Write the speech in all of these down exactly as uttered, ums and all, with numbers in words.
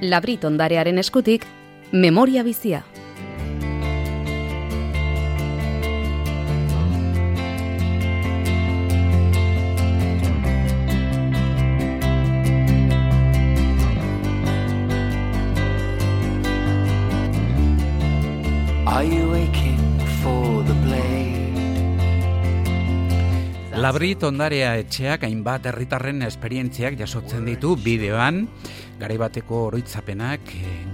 Labrit ondarearen eskutik, memoria bizia. Are you waiting for the blade? Labrit ondarea etxeak hainbat herritarren esperientziak jasotzen ditu bideoan, garaibateko oroitzapenak,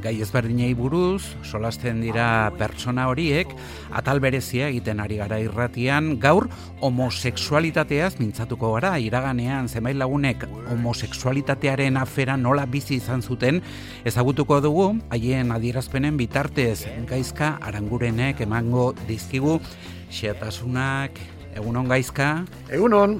gai ezberdinei buruz, solasten dira pertsona horiek, atal berezia egiten ari gara irratian, gaur homosexualitateaz mintzatuko gara, iraganean zenbait lagunek homosexualitatearen afera nola bizi izan zuten, ezagutuko dugu, haien adierazpenen bitartez, Gaizka Arangurenek emango dizkigu, xehetasunak. Egunon Gaizka. Egunon.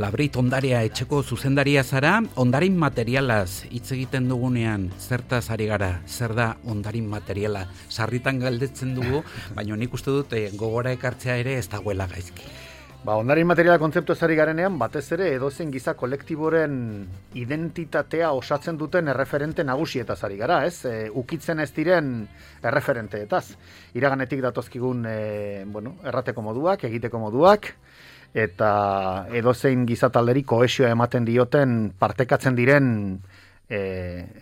Labrit ondarea etxeko zuzendaria zara, ondarin materialaz hitz egiten dugunean, zertaz ari gara, zer da ondarin materiala? Sarritan galdetzen dugu, baina nik uste dut gogora ekartzea ere ez dagoela gaizki. Ba, ondarin materiala kontzeptu ezari garenean, batez ere edozein giza kolektiboren identitatea osatzen duten erreferente nagusietaz ari gara, ez? E, ukitzen ez diren erreferenteetaz. Iraganetik datozkigun e, bueno, errateko moduak, egiteko moduak, eta edozein gizatalderi kohesioa ematen dioten partekatzen diren e,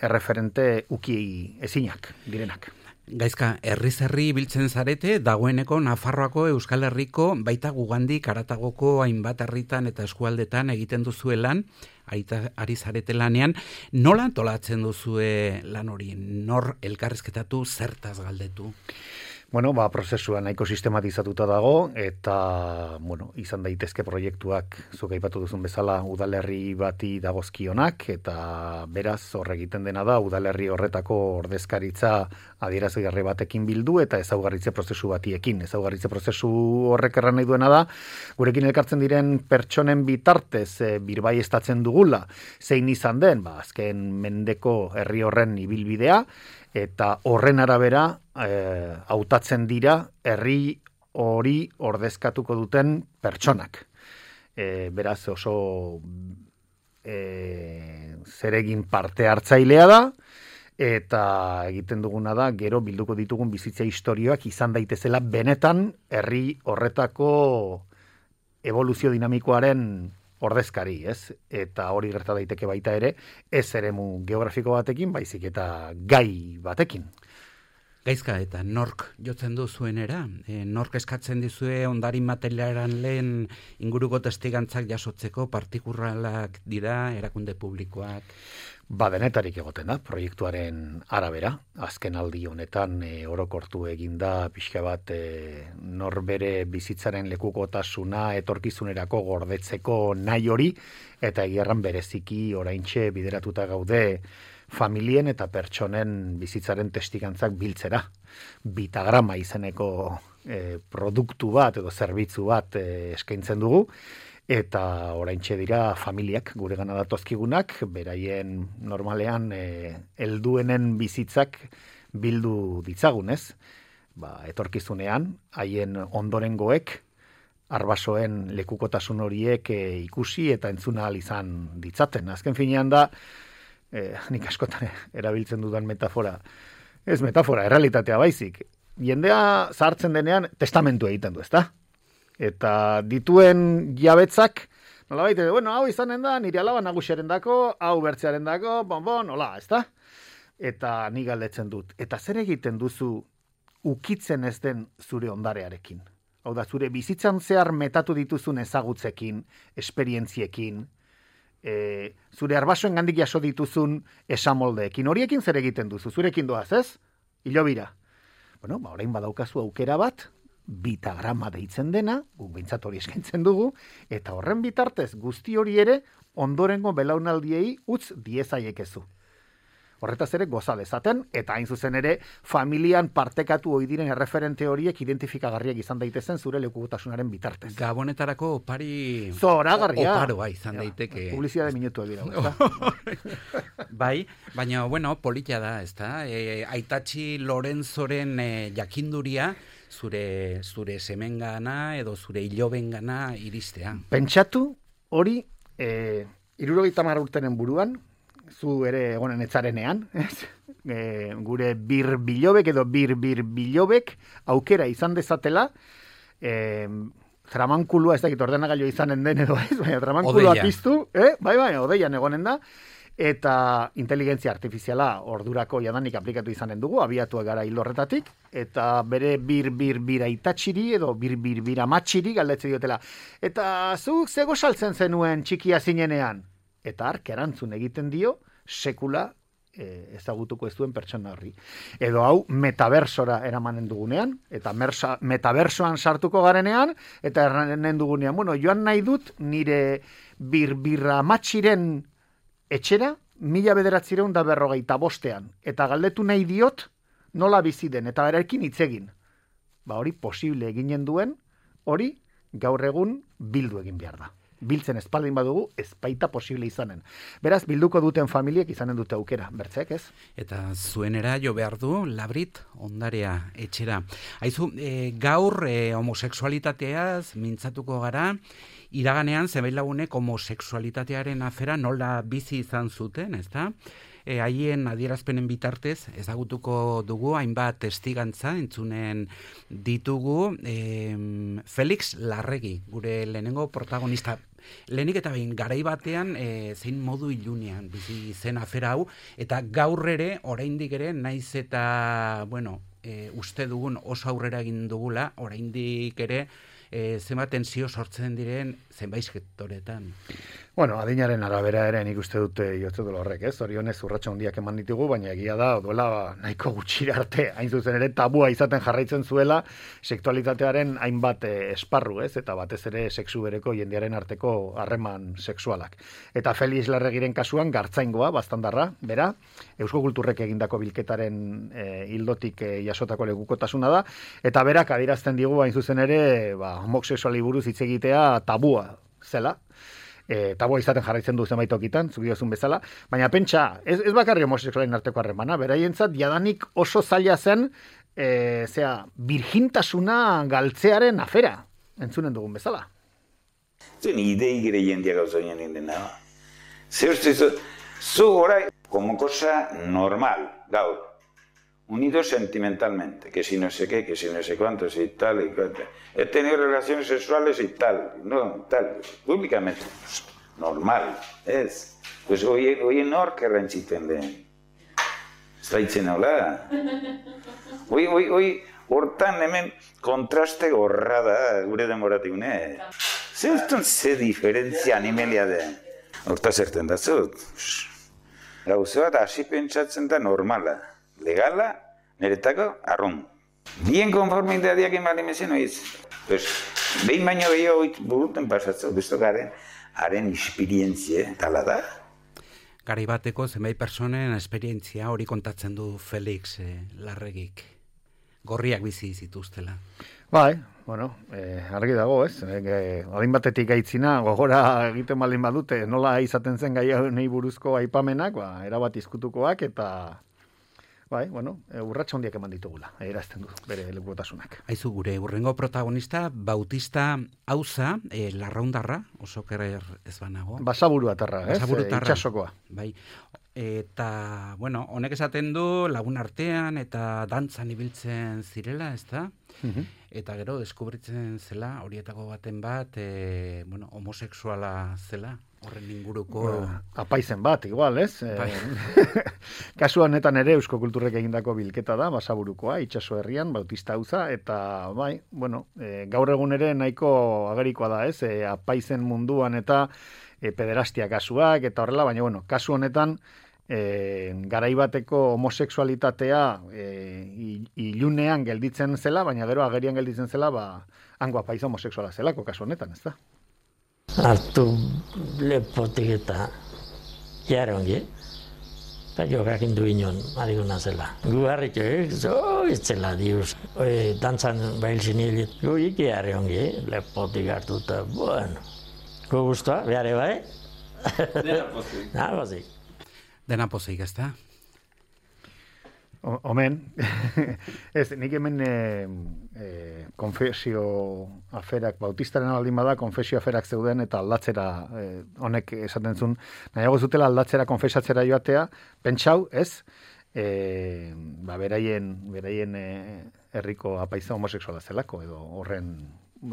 erreferente uki ezinak direnak. Gaizka, herriz herri biltzen zarete, dagoeneko Nafarroako, Euskal Herriko, baita Gugandik, Aratagoko hainbat herritan eta eskualdetan egiten duzue lan, ari zarete lanean, nola antolatzen duzue lan hori? Nor elkarrizketatu, zertaz galdetu? Bueno, ba, prozesua nahiko sistematizatuta dago, eta, bueno, izan daitezke proiektuak, zuk aipatu duzun bezala, udalerri bati dagozkionak, eta beraz, hor egiten dena da, udalerri horretako ordezkaritza adierazgarri batekin bildu, eta ezaugarritze prozesu batiekin. Ezaugarritze prozesu horrek erran nahi duena da, gurekin elkartzen diren pertsonen bitartez, e, birbaieztatzen dugula, zein izan den, ba, azken mendeko herri horren ibilbidea, eta horren arabera eh, hautatzen dira herri hori ordezkatuko duten pertsonak. E, beraz oso e, zeregin parte hartzailea da, eta egiten duguna da, gero bilduko ditugun bizitza historioak izan daitezela benetan herri horretako evoluzio dinamikoaren ordezkari, ez? Eta hori gerta daiteke baita ere, ez eremu geografiko batekin, baizik eta gai batekin. Gaizka, eta nork jotzen du zuenera? E, nork eskatzen dizue ondarin materialan lehen inguruko testigantzak jasotzeko, partikuralak dira, erakunde publikoak? Ba, denetarik egoten da, proiektuaren arabera. Azken aldi honetan e, orokortu eginda pixka bat e, norbere bizitzaren lekukotasuna etorkizunerako gordetzeko nahi hori, eta egiarran bereziki oraintxe bideratuta gaude familien eta pertsonen bizitzaren testigantzak biltzera. Bitagrama izeneko e, produktu bat edo zerbitzu bat e, eskaintzen dugu, eta oraintxe dira familiak gure gana datozkigunak, beraien normalean e, helduenen bizitzak bildu ditzagunez, ba, etorkizunean, haien ondorengoek, arbasoen lekukotasun horiek e, ikusi eta entzuna ahal izan ditzaten. Azken finean da, e, nik askotan erabiltzen dudan metafora, ez metafora, errealitatea baizik, jendea zahartzen denean testamentu egiten du, ezta? Eta dituen jabetzak, nolabait, bueno, hau izanen da, nire alaba nagusiaren dako, hau bertzearen dako, bon, bon, nola, ez da? Eta ni galdetzen dut. Eta zer egiten duzu ukitzen ez den zure ondarearekin? Hau da, zure bizitzan zehar metatu dituzun ezagutzekin, esperientziekin, e, zure arbasoen gandik jaso dituzun esamoldeekin. Horiekin zer egiten duzu? Zurekin doaz, ez? Hilobira. Bueno, ba, orain badaukazu aukera bat, bitagrama deitzen dena, guk behintzat hori eskaintzen dugu, eta horren bitartez guzti hori ere ondorengo belaunaldiei utz diezaiekezu. Horretaz ere goza dezaten, eta hain zuzen ere familian partekatu ohi diren erreferente horiek identifikagarriak izan daitezen zure lekukotasunaren bitartez. Gabonetarako opari zoragarria oparoa izan daiteke. Publizitate minutua dira. Bai, baina bueno, politia da, ezta? E, Aitatxi Lorenzoren e, jakinduria zure zure semengana edo zure ilobengana iristea. Pentsatu hori eh hirurogeita hamar urtenen buruan, zu ere egonen etzarenean, ez? e, gure bir bilobek edo bir bir bilobek aukera izan dezatela, e, tramankulua, ez dakit ordenagailu izanen den edo ez, baina tramankulua piztu, eh? bai, bai, odeian egonen da, eta inteligentzia artifiziala ordurako jadanik aplikatu izanen dugu, abiatu gara hil horretatik, eta bere bir-bir-bira itatxiri edo bir-bir-bira matxiri galdetze diotela. Eta zuk zego saltzen zenuen txikia zinenean? Eta ark erantzun egiten dio, sekula e, ezagutuko ez duen pertsona horri. Edo hau metaversora eramanen dugunean, eta mersa, metaversoan sartuko garenean, eta erranen dugunean, bueno, joan nahi dut nire bir-birra matxiren etxera, mila bederatzireun da berrogeita bostean. Eta galdetu nahi diot, nola bizi den, eta berarekin hitz egin. Ba hori posible eginen duen, hori gaur egun bildu egin behar da. Biltzen espaldin badugu, ez baita posible izanen. Beraz, bilduko duten familiek izanen dute aukera, bertzek, ez? Eta zuenera jo behar du, Labrit, ondarea etxera. Haizu, e, gaur e, homosexualitateaz mintzatuko gara, iraganean zenbait lagunek homosexualitatearen afera nola bizi izan zuten, ezta? E, haien adierazpenen bitartez ezagutuko dugu hainbat testigantza entzunen ditugu e, Felix Larregi, gure lehenengo protagonista. Lehenik eta behin garai batean e, zein modu ilunean bizi zen afera hau, eta gaur ere, oraindik ere, naiz eta, bueno, e, uste dugun oso aurrera egin dugula, oraindik ere, E, zenbat tensio sortzen diren zenbait sektoretan. Bueno, adinaren arabera ere nik uste dute jotze dut horrek, ez? Zorionez urratsa handiak eman ditugu, baina egia da, duela nahiko gutxira arte, hain zuzen ere tabua izaten jarraitzen zuela sexualitatearen hainbat e, esparru, ez? Eta batez ere sexu bereko jendearen arteko harreman sexualak. Eta Felix Larregiren kasuan gartzaingoa, bastandarra, bera, Eusko Kulturrek egindako bilketaren e, hildotik e, jasotako lekukotasuna da, eta berak adierazten digu hain zuzen ere, ba, homosexuali buruz hitz egitea tabua zela. E, tabua izaten jarraitzen du zenbait tokitan, zuk diozun bezala, baina pentsa, ez, ez bakarri homosexualen arteko harremana, beraientzat jadanik oso zaila zen, e, zera, virgintasuna galtzearen afera, entzunen dugun bezala. Zuen idei gire jendia gauza nien dena. Zer uste zu, zu orai, como cosa normal, gaur. Unido sentimentalmente, que si no sé qué, que si no sé cuántos y tal y cual. He tenido relaciones sexuales y tal, no, tal, públicamente, pues, normal, ez. Pues hoy, hoy nork errantziten den. Zaitzen hola. Hoy, hoy, hoy, hortan hemen kontraste gorra da, gure demoratik, ne? Ze ustun ze diferentzia animelia den. Horta zerten da zut. Gauze bat hasi pentsatzen da normala. Legala, niretako, arrun. Bien konformitateak ematen mezen oiz. Pues, behin baino gehiago oit buruten pasatzen, besto garen, haren esperientzia, tala da. Garai bateko zenbait personen esperientzia hori kontatzen du Felix eh, Larregik. Gorriak bizi zituztela. Bai, bueno, eh, argi dago, ez? Eh, adin batetik gaitzina, gogora egiten baldin badute, nola izaten zen gai honei buruzko aipamenak, ba, erabat izkutukoak, eta bai, bueno, urratsa handiak eman ditugula, erazten du, bere lekutasunak. Aizu, gure urrengo protagonista, Bautista Auza, e, larraundarra, oso kerer ez banago. Basaburu atarra, ez? Basaburu E, itxasokoa. Bai, eta, bueno, honek esaten du lagun artean eta dantzan ibiltzen zirela, ez da? Uh-huh. Eta gero, deskubritzen zela, horietako baten bat, e, bueno, homosexuala zela. Horren inguruko... Bueno, apaizen bat, igual, ez? Bai. Kasu honetan ere Eusko Kulturrek egindako bilketa da, Basaburukoa, itsaso herrian, Bautista Auza, eta bai, bueno, e, gaur egun ere nahiko agerikoa da, ez? E, apaizen munduan eta e, pederastia kasuak, eta horrela, baina, bueno, kasu honetan, e, garaibateko homosexualitatea e, ilunean gelditzen zela, baina gero agerian gelditzen zela, ba, hango apaiza homosexuala zelako kasu honetan, ez da? Hartu lepotik eta jarongi, eta jokakin du inon, adiguna zela. Gu harrik egin, zo, itzela diuz. Oe, dantzan bahil zinilit, gu iki jarongi, lepotik hartu eta, bueno. Gu guztua, behar eba, eh? Dena pozik. Dena pozik. Dena pozik, ez da? Omen, ez, nik hemen e, e, konfesio aferak, Bautistaren aldin bada, konfesio aferak zeuden eta aldatzera, e, honek esaten zuen, nahiago zutela aldatzera konfesatzera joatea, pentsau, ez, e, ba, beraien, beraien e, herriko apaiza homosexuala zelako, edo horren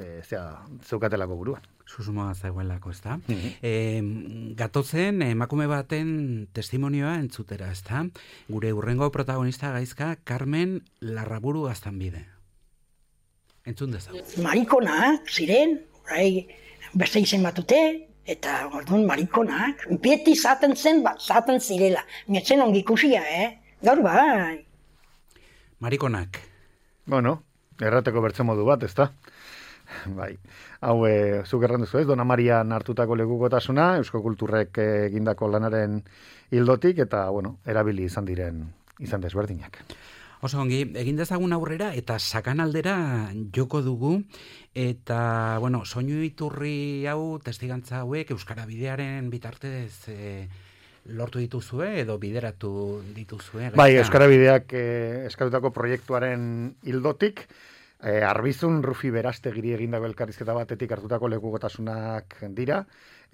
e, zea, zeukatelako buruan. Susmoa zegoelako, ez da? Mhm. E, gatozen, emakume baten testimonioa entzutera, ez da? Gure hurrengo protagonista gaizka, Carmen Larraburu Gaztanbide. Entzun dezagun. Marikonak ziren, orai, beste izen batute, eta orduan marikonak, beti zaten zen, bat zaten zirela. Mietzen ongi ikusia, eh? Gaur bai. Marikonak. Bueno, errateko bertze modu bat, ezta? Bai, hau e, zuk erran duzu ez, Dona Marian hartutako lekukotasuna, Eusko Kulturrek egindako lanaren hildotik, eta, bueno, erabili izan diren, izan desberdinak. Oso ongi, egin dezagun aurrera eta sakanaldera joko dugu, eta, bueno, soinu iturri hau, testigantza hauek, Euskara Bidearen bitartez e, lortu dituzue edo bideratu dituzue? Bai, Euskara Bideak e, eskatutako proiektuaren hildotik, E, Arbizun Rufi Berastegiri egindako elkarrizketa batetik hartutako lekukotasunak dira,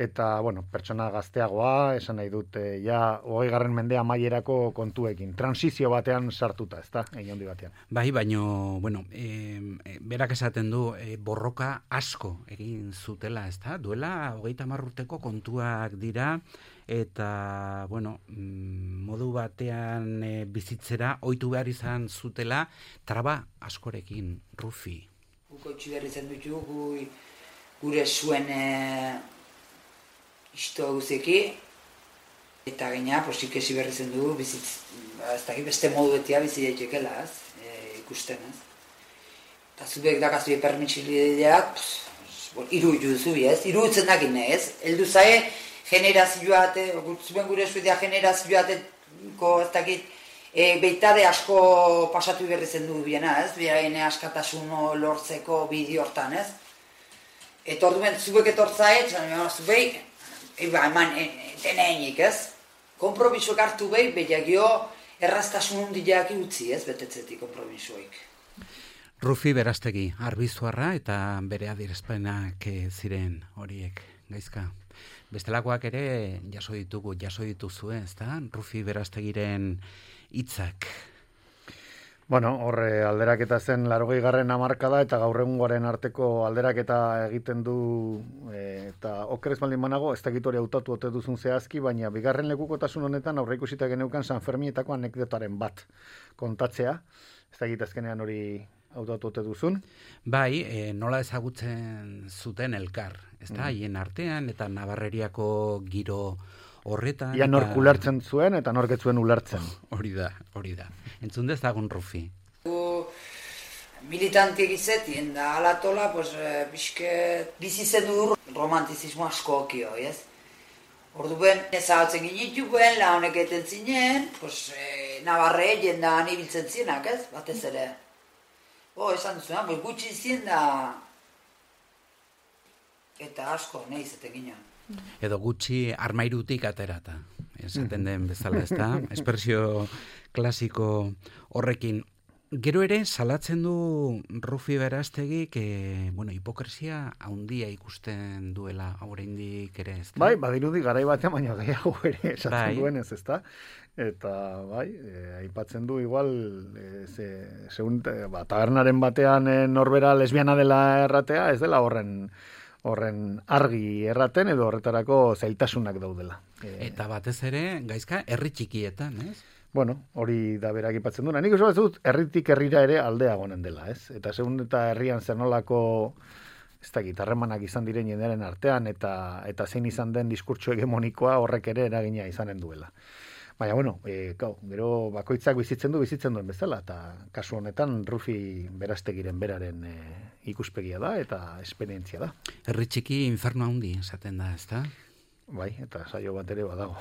eta, bueno, pertsona gazteagoa, esan nahi dut, e, ja, hogei garren mendea amaierako kontuekin, transizio batean sartuta, ez da, egin handi batean. Bai, baino, bueno, e, berak esaten du, e, borroka asko egin zutela, ez da, duela hogeita hamar urteko kontuak dira, eta, bueno, modu batean e, bizitzera ohitu behar izan zutela traba askorekin, Rufi. Guko itxi behar izan dutu, gure zuen e, isto guzeki, eta gaina, posik ezi behar izan du, bizitz, ez dakit beste modu betia bizi daitekela, ez, e, ikusten, ez. Eta zubek dakazu permitxilideak, iru duzu, ez, iru utzen dakin, ez, eldu zae, generazioat, zuen gure eskuetia generazioateko, ez dakit, e, beitade asko pasatu berri zen du biena, ez? Beraien askatasun lortzeko bideo hortan, ez? Eta orduan, zubek etortzaet, zubek, eba, eman, deneinik, ez? Konpromisoak hartu behi, behiagio, erraztasun hundiak utzi, ez? Betetzetik konpromisoik. Rufi Berastegi, Arbizuarra eta bere adierazpenak ziren horiek, gaizka. Bestelakoak ere jaso ditugu, jaso dituzue, ezta? Rufi Berastegiren hitzak. Bueno, horre alderaketa zen laurogei garren hamarkada eta gaur egungoaren arteko alderaketa egiten du e, eta oker ez baldin banago, ez dakit hori hautatu ote duzun zehazki, baina bigarren lekukotasun honetan aurreikusita geneukan San Ferminetako anekdotaren bat kontatzea. Ez dakit azkenean hori hautatu ote duzun. Bai, e, nola ezagutzen zuten elkar, ezta? Haien mm. artean eta Nabarreriako giro horretan. Ia nork ulertzen zuen eta nork ez zuen ulertzen. Oh, hori da, hori da. Entzun dezagun Rufi. Militantiek izetien da alatola, pues, pixke bizitzen du romantizismo asko okio, ez? Orduen, ezagutzen ginituen, la honek eten zinen, pues, e, Nabarre jendan ibiltzen zinak, ez? Batez ere. Oh, esan duzuna, pues, gutxi zien da eta asko, nahi izaten ginen. Edo gutxi armairutik aterata, esaten den bezala, ez da? Espresio klasiko horrekin. Gero ere, salatzen du Rufi Berastegi, que, bueno, hipokresia haundia ikusten duela oraindik ere, ez da? Bai, badirudi garai batean baina gehiago ere esaten bai. duenez, ez da? Eta, bai, e, aipatzen du igual, e, ze, segun, e, ba, tabernaren batean e, norbera lesbiana dela erratea, ez dela horren horren argi erraten edo horretarako zailtasunak daudela. E, Eta batez ere, gaizka, herri txikietan, ez? Bueno, hori da berak aipatzen duena. Nik oso bat dut, herritik herrira ere aldea gonen dela, ez? Eta segun eta herrian zer nolako, ez dakit, harremanak izan diren jendearen artean, eta eta zein izan den diskurtso hegemonikoa horrek ere eragina izanen duela. Baina, bueno, e, gau, gero bakoitzak bizitzen du, bizitzen duen bezala, eta kasu honetan Rufi Berastegiren beraren e, ikuspegia da, eta esperientzia da. Herri txiki inferno handi, esaten da, ez da? Bai, eta saio bat ere badago.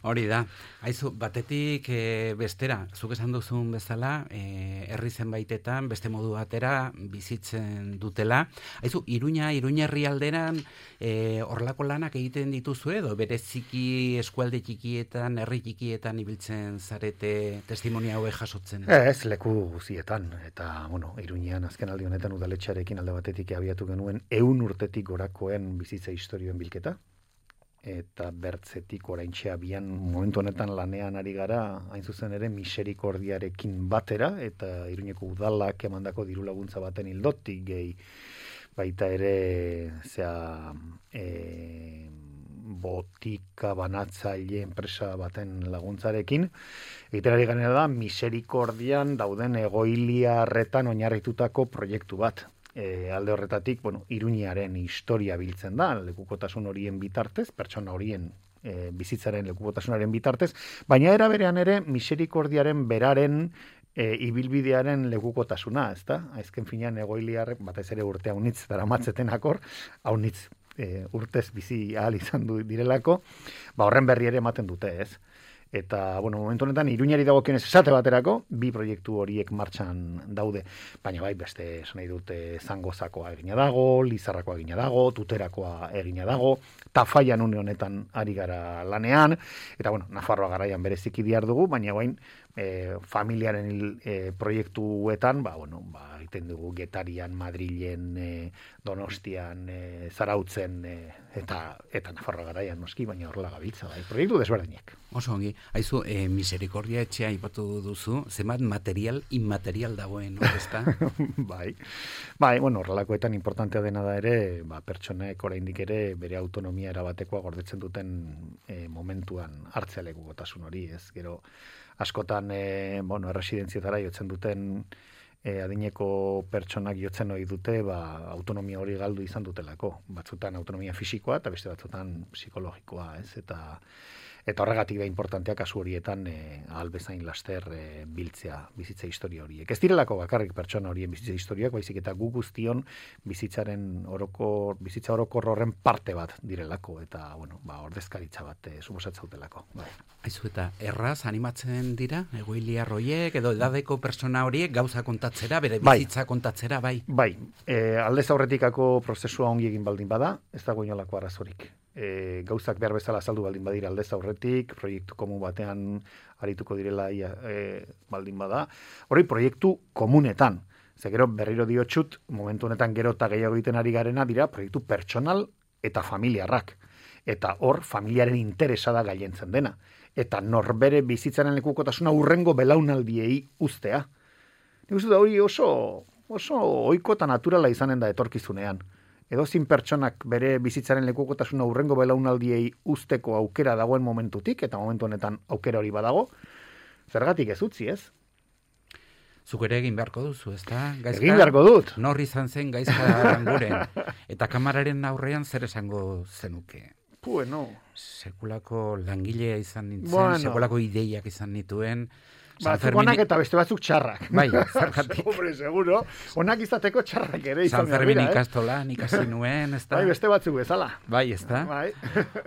Hori da. Aizu, batetik e, bestera, zuk esan duzun bezala, e, herri zenbaitetan, beste modu batera bizitzen dutela. Aizu, Iruña, Iruña herrialderan e, horlako lanak egiten dituzu edo bereziki eskualde txikietan, herri txikietan ibiltzen zarete testimonia hauek jasotzen? Ez, leku guzietan. Eta, bueno, Iruñean azken aldi honetan udaletxearekin alde batetik abiatu genuen ehun urtetik gorakoen bizitza historioen bilketa. eta bertzetik oraintxe abian momentu honetan lanean ari gara, hain zuzen ere miserikordiarekin batera, eta Iruñeko udalak emandako diru laguntza baten ildotik gehi baita ere zea e, botika banatzaile enpresa baten laguntzarekin. Egiten ari ganera da miserikordian dauden egoiliarretan oinarritutako proiektu bat. E, alde horretatik, bueno, Iruñaren historia biltzen da, lekukotasun horien bitartez, pertsona horien e, bizitzaren lekukotasunaren bitartez, baina era berean ere miserikordiaren beraren e, ibilbidearen lekukotasuna, ezta? Azken finean egoiliarrek batez ere urte haunitz daramatzeten akor, haunitz e, urtez bizi ahal izan du direlako, ba horren berri ere ematen dute, ez? Eta, bueno, momentu honetan, Iruñari dagokionez esate baterako, bi proiektu horiek martxan daude. Baina bai, beste esan nahi dute Zangozakoa egina dago, Lizarrakoa egina dago, Tuterakoa egina dago, Tafaian une honetan ari gara lanean, eta, bueno, Nafarroa garaian bereziki dihar dugu, baina bain, e, familiaren e, proiektuetan, ba, bueno, ba, egiten dugu Getarian, Madrilen, e, Donostian, e, Zarautzen, e, eta, eta Nafarroa garaian noski, baina horrela gabiltza, bai, proiektu desberdinak. Oso ongi, haizu, e, miserikordia etxea aipatu duzu, zenbat material, inmaterial dagoen, no, ezta? bai, bai, bueno, horrelakoetan importantea dena da ere, ba, pertsonek oraindik ere bere autonomia erabatekoa gordetzen duten e, momentuan hartzea lekukotasun hori, ez, gero, askotan, e, bueno, erresidentzietara jotzen duten e, adineko pertsonak jotzen ohi dute, ba, autonomia hori galdu izan dutelako, batzutan autonomia fisikoa eta beste batzutan psikologikoa, ez, eta Eta horregatik da importantea kasu horietan e, ahal bezain laster e, biltzea bizitza historia horiek. Ez direlako bakarrik pertsona horien bizitza historiak, baizik eta gu guztion bizitzaren orokor, bizitza orokor horren parte bat direlako, eta bueno, ba, ordezkaritza bat e, suposatzautelako. Bai. Aizu, eta erraz animatzen dira, egoiliar horiek, edo edadeko pertsona horiek gauza kontatzera, bere bizitza bai. kontatzera, bai? Bai, e, aldez aurretikako prozesua ongi egin baldin bada, ez dago inolako arazorik. E, gauzak behar bezala azaldu baldin badira aldez aurretik, proiektu komun batean arituko direla ia, e, baldin bada. Hori proiektu komunetan. Ze gero berriro diotxut, momentu honetan gero eta gehiago egiten ari garena dira proiektu pertsonal eta familiarrak. Eta hor familiaren interesa da gailentzen dena. Eta norbere bizitzaren lekukotasuna urrengo belaunaldiei uztea. Nik uste da hori oso, oso ohiko eta naturala izanen da etorkizunean. Edozin pertsonak bere bizitzaren lekukotasuna urrengo belaunaldiei uzteko aukera dagoen momentutik, eta momentu honetan aukera hori badago, zergatik ez utzi, ez? Zuk ere egin beharko duzu, ezta? Gaizka, egin beharko dut. Nor izan zen Gaizka Aranguren. Eta kamararen aurrean zer esango zenuke? Bueno. Sekulako langilea izan nintzen, bueno. Sekulako ideiak izan nituen. Batzuk onak eta beste batzuk txarrak. Bai, zergatik. Hombre, seguro. Onak izateko txarrak ere izan. San Fermin ikastolan ikasi nuen, ezta? Bai, beste batzuk bezala. Bai, ezta? Bai.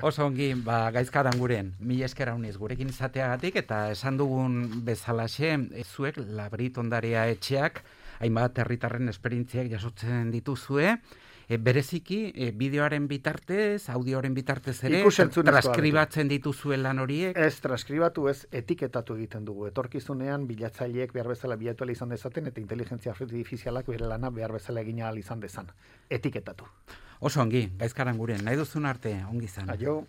Oso ongi, ba, Gaizka Aranguren, mila esker hauniz gurekin izateagatik, eta esan dugun bezalaxe, zuek Labrit ondarea etxeak, hainbat herritarren esperientziak jasotzen dituzue, E, bereziki, e, bideoaren bitartez, audioaren bitartez ere, transkribatzen dituzuen lan horiek? Ez, transkribatu ez, etiketatu egiten dugu. Etorkizunean, bilatzaileek behar bezala bilatu izan dezaten, eta inteligentzia artifizialak bere lana behar bezala egina izan dezan. Etiketatu. Oso ongi, Gaizka Aranguren, nahi duzun arte, ongi zan. Aio.